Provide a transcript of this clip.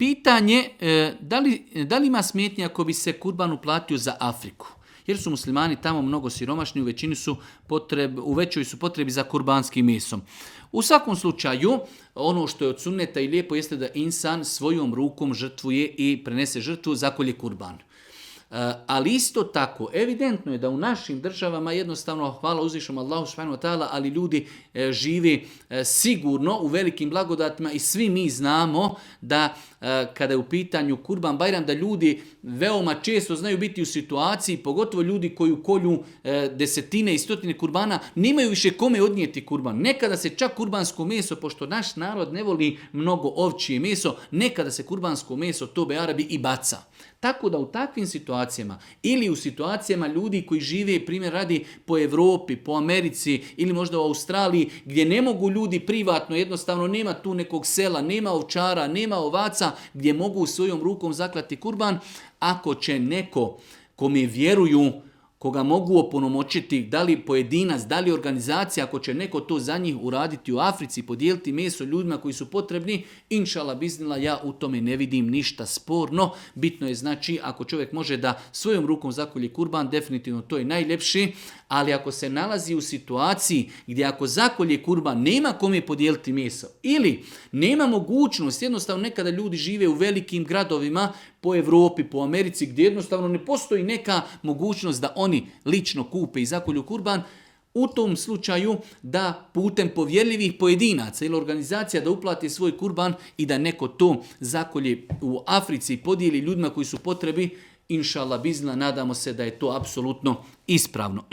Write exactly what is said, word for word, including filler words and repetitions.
pitanje e, da, li, da li ima smetnje ako bi se kurban uplatio za Afriku? Jer su muslimani tamo mnogo siromašni, u većini su potreb, u većoj su potrebi za kurbanskim mesom. U svakom slučaju, ono što je od sunneta i lijepo jeste da insan svojom rukom žrtvuje i prenese žrtvu, zakolje kurban. Ali isto tako, evidentno je da u našim državama jednostavno, hvala uzvišom Allahu subhanahu wa ta'ala, ali ljudi e, žive e, sigurno u velikim blagodatima i svi mi znamo da e, kada je u pitanju Kurban Bajram, da ljudi veoma često znaju biti u situaciji, pogotovo ljudi koji kolju e, desetine i stotine kurbana, nemaju više kome odnijeti kurban. Nekada se čak kurbansko meso, pošto naš narod ne voli mnogo ovčije meso, nekada se kurbansko meso, tobe Arabi, i baca. Tako da u takvim situacijama ili u situacijama ljudi koji žive, primjer radi, po Europi, po Americi ili možda u Australiji, gdje ne mogu ljudi privatno, jednostavno nema tu nekog sela, nema ovčara, nema ovaca, gdje mogu svojom rukom zaklati kurban, ako će neko kome vjeruju, koga mogu oponomoćiti, da li pojedinac, da li organizacija, ako će neko to za njih uraditi u Africi, podijeliti meso ljudima koji su potrebni, inšala biznila, ja u tome ne vidim ništa sporno. Bitno je znači, ako čovjek može da svojom rukom zakolje kurban, definitivno to je najljepši, ali ako se nalazi u situaciji gdje ako zakolje kurban nema kome podijeliti meso ili nema mogućnost, jednostavno nekada ljudi žive u velikim gradovima po Europi, po Americi, gdje jednostavno ne postoji neka mogućnost da oni lično kupe i zakolju kurban, u tom slučaju da putem povjerljivih pojedinaca ili organizacija da uplati svoj kurban i da neko to zakolje u Africi i podijeli ljudima koji su potrebi, inšallah bizna, nadamo se da je to apsolutno ispravno.